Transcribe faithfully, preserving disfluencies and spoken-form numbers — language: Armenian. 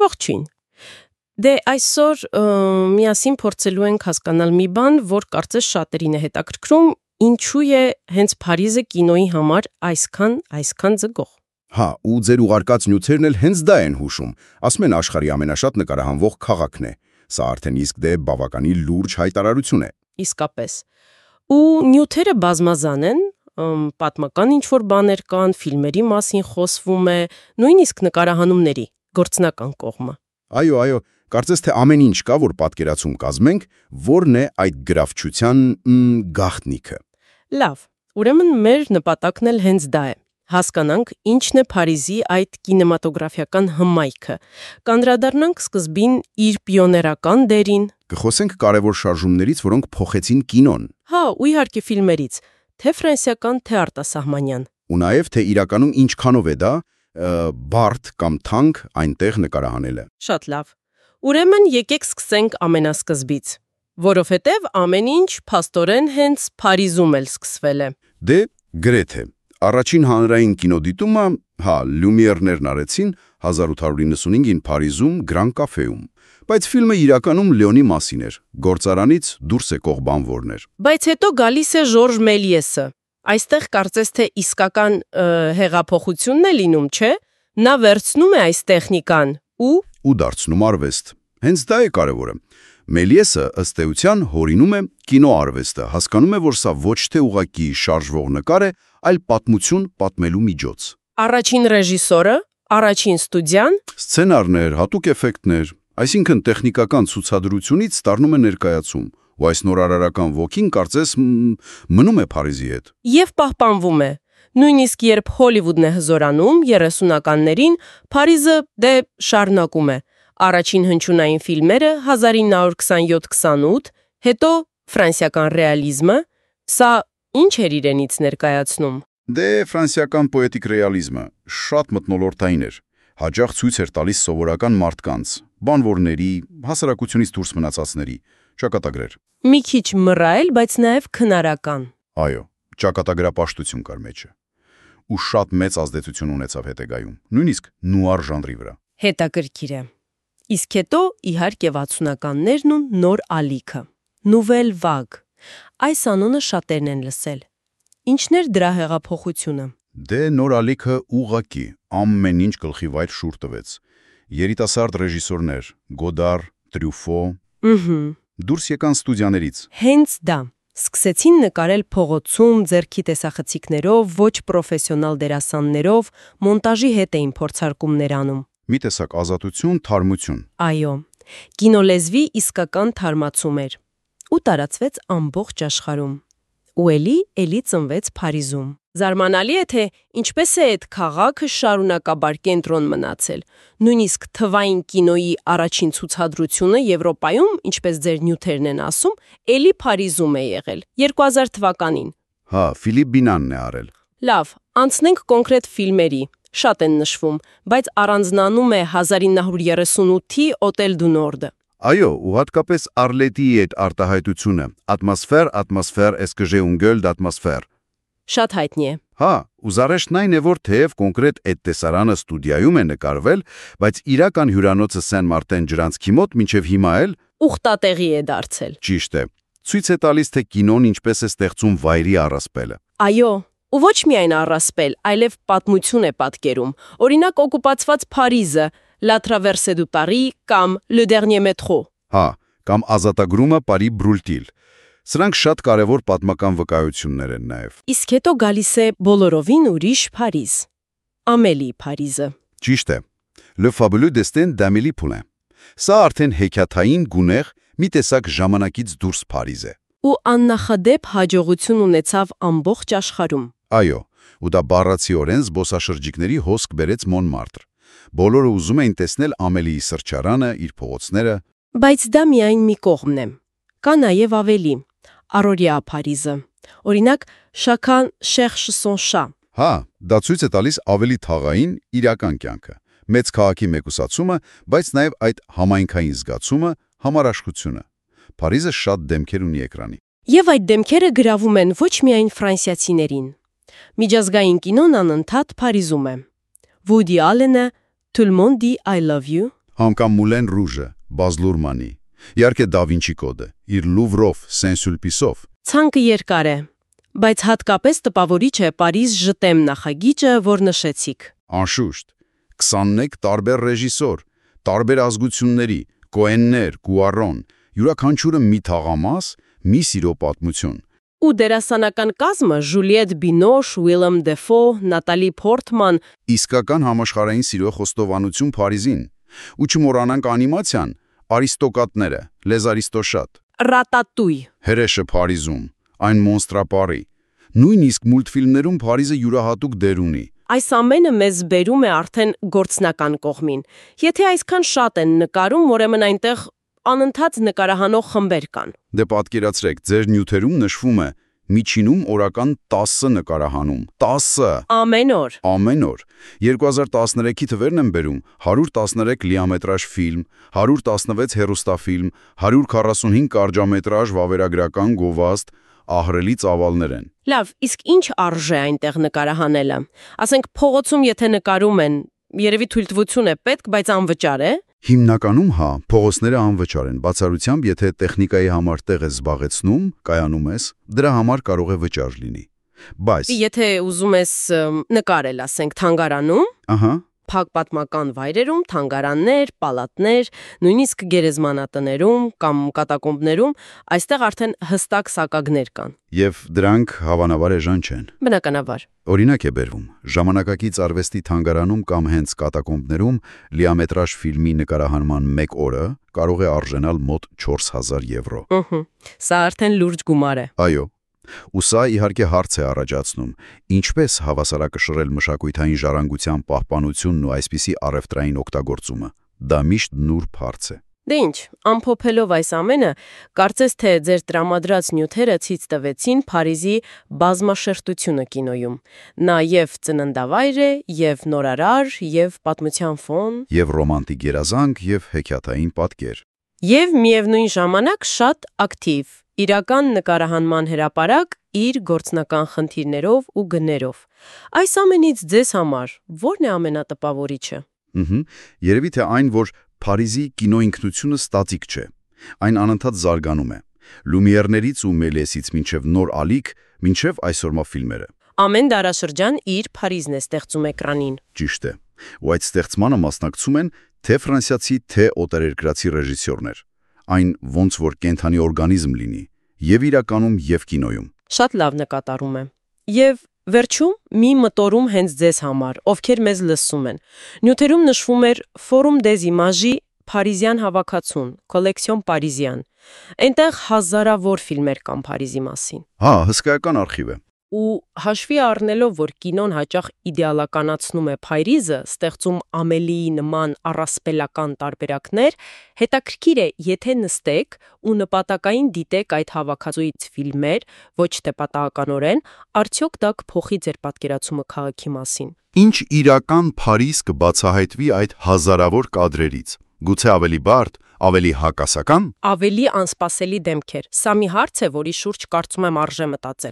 Ողջույն։ Դե այսօր միասին փորձելու ենք հասկանալ մի բան, որ կարծես շատերին է հետաքրքրում, ինչու է հենց Փարիզը կինոյի համար այսքան, այսքան ձգող։ Հա, ու ձեր ուղարկած նյութերն էլ հենց դա են հուշում։ Ասում են աշխարհի ամենաշատ նկարահանվող քաղաքն է։ Սա արդեն իսկ դե բավականին լուրջ հայտարարություն է։ Իսկապես։ Ու նյութերը բազմազան են, պատմական ինչ-որ բաներ կան, ֆիլմերի մասին խոսվում է, նույնիսկ նկարահանումների, գործնական կողմը։ Այո, այո, կարծես թե ամեն ինչ կա, որ պատկերացում կազմենք, որն է այդ գրավչության գաղտնիքը։ Լավ, ուրեմն մեր նպատակն էլ հենց դա է։ Հասկանանք, ինչն է Փարիզի այդ կինեմատոգրաֆիական հմայքը։ Կանդրադառնանք սկզբին իր պիոներական դերին։ Կխոսենք կարևոր շարժումներից, որոնք փոխեցին կինոն։ Հա, ու իհարկե ֆիլմերից, թե ֆրանսիական, թե արտասահմանյան։ Ու նաև թե իրականում ինչքանով է դա բարդ կամ թանկ այնտեղ նկարահանելը։ Շատ լավ։ Ուրեմն եկեք սկսենք ամենասկզբից, որովհետև ամեն ինչ փաստորեն հենց Փարիզում էլ սկսվել է։ Դե գրեթե Առաջին հանրային կինոդիտումը, հա, Լյումիերներն արեցին հազար ութ հարյուր նվաթ Փարիզում Գրան կաֆեում, բայց ֆիլմը իրականում Լեոնի մասին էր, գործարանից դուրս եկող բանվորներ։ Բայց հետո գալիս է Ժորժ Մելիեսը։ Այստեղ կարծես թե իսկական հեղափոխությունն է լինում, չէ՞։ Նա վերցնում է այս տեխնիկան ու ու դարձնում արվեստ։ Հենց դա է կարևորը։ Մելիեսը ըստ էության հորինում է կինոարվեստը, հասկանում է, որ սա ոչ թե ուղղակի շարժվող նկար է, այլ պատմություն պատմելու միջոց։ Առաջին ռեժիսորը, առաջին ստուդիան, սցենարներ, հատուկ էֆեկտներ, այսինքն տեխնիկական ցուցադրությունից ստառնում է ներկայացում, ու այս նորարարական ոգին կարծես մնում է Փարիզի հետ։ Եվ պահպանվում է։ Նույնիսկ երբ Հոլիվուդն է հզորանում երեսունականներին, Փարիզը դե շարունակում է։ Առաջին հնչյունային ֆիլմերը հազար ինը հարյուր քսանյոթ քսանութ, հետո ֆրանսիական ռեալիզմը, սա ինչ էր իրենից ներկայացնում։ Դե ֆրանսիական պոետիկ ռեալիզմը շատ մթնոլորտային էր, հաճախ ցույց էր տալիս սովորական մարդկանց, բանվորների, հասարակությունից դուրս մնացածների, ճակատագրեր։ Մի քիչ մռայլ, բայց նաև քնարական։ Այո, ճակատագրապաշտություն կար մեջը։ Ու շատ մեծ ազդեցություն ունեցավ հետագայում, նույնիսկ նուար ժանրի վրա։ Հետաքրքիր է։ Իսկ հետո իհարկե վաթսունականներն ու նոր ալիքը։ Նուվել վագ։ Այս անունը շատերն են լսել։ Ինչն էր դրա հեղափոխությունը։ Դե նոր ալիքը ուղղակի ամեն ինչ գլխի վայր շուռ տվեց։ Երիտասարդ ռեժիսորներ՝ Գոդար, Տրյուֆո, Ահա, դուրս եկան ստուդիաներից։ Հենց դա։ Սկսեցին նկարել փողոցում, ձեռքի տեսախցիկներով, ոչ պրոֆեսիոնալ դերասաններով, մոնտաժի հետ էին փորձարկումներ անում։ Մի տեսակ ազատություն, թարմություն։ Այո, կինոլեզվի իսկական թարմացում էր ու տարածվեց ամբողջ աշխարհում։ Ու էլի էլի ծնվեց Փարիզում։ Զարմանալի է, թե ինչպես է այդ քաղաքը շարունակաբար կենտրոն մնացել։ Նույնիսկ թվային կինոյի առաջին ցուցադրությունը Եվրոպայում, ինչպես ձեր նյութերն են ասում, էլի Փարիզում է եղել երկու հազար թվականին։ Հա, Ֆիլիպ Բինանն է արել։ Լավ, անցնենք կոնկրետ ֆիլմերի։ Շատ են նշվում, բայց առանձնանում է հազար ինը հարյուր երեսունութի Օտել դու Նորդը։ Այո, ու հատկապես Արլետիի այդ արտահայտությունը, ատմոսֆեր, ատմոսֆեր, էսկժե ունգել d'atmosphère։ Շատ հայտնի է։ Հա, ու զարեշտն այն է, որ թեև կոնկրետ այդ տեսարանը ստուդիայում է նկարվել, բայց իրական հյուրանոցը Սեն-Մարտեն ջրանցքի մոտ մինչև հիմա էլ ուխտատեղի է դարձել։ Ճիշտ է։ Ցույց է տալիս, թե կինոն ինչպես է ստեղծում վայրի առասպելը։ Այո, ու ոչ միայն առասպել, այլև պատմություն է պատկերում։ Օրինակ օկուպացված Փարիզը, La Traversée du Paris կամ Le Dernier Métro։ Հա, կամ ազատագրումը Պարի Բրուլտիլ։ Սրանք շատ կարևոր պատմական վկայություններ են նաև։ Իսկ հետո գալիս է բոլորովին ուրիշ Փարիզ։ Ամելի Փարիզը։ Ճիշտ է։ Le fabuleux destin d'Amélie Poulain։ Սա արդեն հեքիաթային գունեղ մի տեսակ ժամանակից դուրս Փարիզ է։ Ու աննախադեպ հաջողություն ունեցավ ամբողջ աշխարհում։ Այո, ու դա բառացիորեն զբոսաշրջիկների հոսք բերեց Մոնմարտր։ Բոլորը ուզում էին տեսնել Ամելիի սրճարանը, իր փողոցները։ Բայց դա միայն մի կողմն է։ Կա նաև ավելի։ Առօրյա Փարիզը։ Օրինակ, Chacun cherche son chat։ Հա, դա ցույց է տալիս ավելի թաղային իրական կյանքը, մեծ քաղաքի մեկուսացումը, բայց նաև այդ համայնքային զգացումը, համարաշխությունը։ Փարիզը շատ դեմքեր ունի էկրանի։ Եվ այդ դեմքերը գրավում են ոչ միայն ֆրանսիացիներին։ Միջազգային կինոն անընդհատ Փարիզում է։ Woody Allen-ը Tout le monde dit I love you, Համ կամ Մուլեն Ռուժը, Բազ Լուրմանի, իհարկե Դա Վինչի կոդը, իր Լուվրով, Սեն-Սուլպիսով։ Ցանկը երկար է, բայց հատկապես տպավորիչ է Պարիզ ժտեմ նախագիծը, որ նշեցիք։ Անշուշտ, քսանմեկ տարբեր ռեժիսոր, տարբեր ազգությունների, Կոեններ, Գուարոն, յուրաքանչյուրը մի թաղամաս, մի սիրո պատմություն։ Ու դերասանական կազմը Ժուլիետ Բինոշ, Ուիլյամ Դեֆո, Նատալի Փորտման, Իսկական համաշխարհային սիրո խոստովանություն Փարիզին։ Ու չմոռանանք անիմացիան, Արիստոկատները, Les Aristochats, Ռատատույ։ Հրեշը Փարիզում, այն Մոնստրապարի։ Նույնիսկ մուլտֆիլմներում Փարիզը յուրահատուկ դեր ունի։ Այս ամենը մեզ բերում է արդեն գործնական կողմին։ Եթե այսքան շատ են նկարում, ուրեմն այնտեղ անընդհատ նկարահանող խմբեր կան։ Դե պատկերացրեք, ձեր նյութերում նշվում է միջինում օրական տասը նկարահանում։ տասը Ամեն օր։ Ամեն օր։ երկու հազար տասներեքի թվերն են բերում հարյուր տասներեք լիամետրաժ ֆիլմ, հարյուր տասնվեց հեռուստաֆիլմ, հարյուր քառասունհինգ կարճամետրաժ վավերագրական գովազդ, ահռելի ծավալներ են։ Լավ, իսկ ինչ արժե այնտեղ նկարահանելը։ Ասենք փողոցում եթե նկարում են, երևի թույլտվություն է պետք, բայց անվճար է։ Հիմնականում հա, փողոցները անվճար են, բացառությամբ եթե տեխնիկայի համար տեղ ես զբաղեցնում, կայանում ես, դրա համար կարող է վճար լինի։ Բայց Եթե ուզում ես ըմ, նկարել, ասենք, թանգարանում, ահա, փակ պատմական վայրերում, թանգարաններ, պալատներ, նույնիսկ գերեզմանատներում կամ կատակոմբներում, այստեղ արդեն հստակ սակագներ կան։ եւ դրանք հավանաբար էժան չեն։ Բնականաբար։ Օրինակ է բերվում. ժամանակակից արվեստի թանգարանում կամ հենց կատակոմբներում լիամետրաժ ֆիլմի նկարահանման մեկ օրը կարող է արժենալ մոտ չորս հազար եվրո։ Ըհը։ Սա արդեն լուրջ գումար է։ Այո։ Ու սա իհարկե հարց է առաջացնում. ինչպես հավասարակշռել մշակութային ժառանգության պահպանությունն ու այսպիսի առևտրային օգտագործումը։ Դա միշտ նուրբ հարց է։ Դե ինչ, ամփոփելով այս ամենը, կարծես թե ձեր տրամադրած նյութերը ցույց տվեցին Փարիզի բազմաշերտությունը կինոյում։ Նա եւ ծննդավայր է, եւ նորարար, եւ պատմության ֆոն, Եվ ռոմանտիկ երազանք, եւ հեքիաթային պատկեր։ եւ միևնույն ժամանակ շատ ակտիվ, իրական նկարահանման հրապարակ իր գործնական խնդիրներով ու գներով։ Այս ամենից ձեզ համար ո՞րն է ամենատպավորիչը։ Ըհը, երևի թե այն, որ Փարիզի կինոինքնությունը ստատիկ չէ։ Այն անընդհատ զարգանում է։ Լումիերներից ու Մելեսից մինչև նոր ալիք, մինչև այսօրվա ֆիլմերը։ Ամեն դարաշրջան իր Փարիզն է ստեղծում էկրանին։ Ճիշտ է։ Ու այդ ստեղծմանը մասնակցում են թե ֆրանսիացի, թե օտարերկրացի ռեժիսորներ։ Այն ոնց որ կենթանի օրգանիզմ լինի, եւ իրականում, եւ կինոյում։ Շատ լավ նկատառում է։ Եվ վերջում մի մտորում հենց ձեզ համար, ովքեր մեզ լսում են։ Նյութերում նշվում էր Forum des Images Փարիզյան հավաքածուն, Collection Parisien։ Այնտեղ հազարավոր ֆիլմեր կան Փարիզի մասին։ Հա, հսկայական արխիվ է։ Ու հաշվի առնելով, որ կինոն հաճախ իդեալականացնում է Փարիզը, ստեղծում Ամելիի նման առասպելական տարբերակներ, հետաքրքիր է, եթե նստեք ու նպատակային դիտեք այդ հավաքածուից ֆիլմեր, ոչ թե պատահականորեն, արդյոք դա կփոխի ձեր պատկերացումը քաղաքի մասին։ Ինչ իրական Փարիզ կբացահայտվի այդ հազարավոր կադրերից։ Գուցե ավելի բարդ, ավելի հակասական։ Ավելի անսպասելի դեմքեր։ Սա մի հարց է, որի շուրջ կարծում եմ արժե մտածել։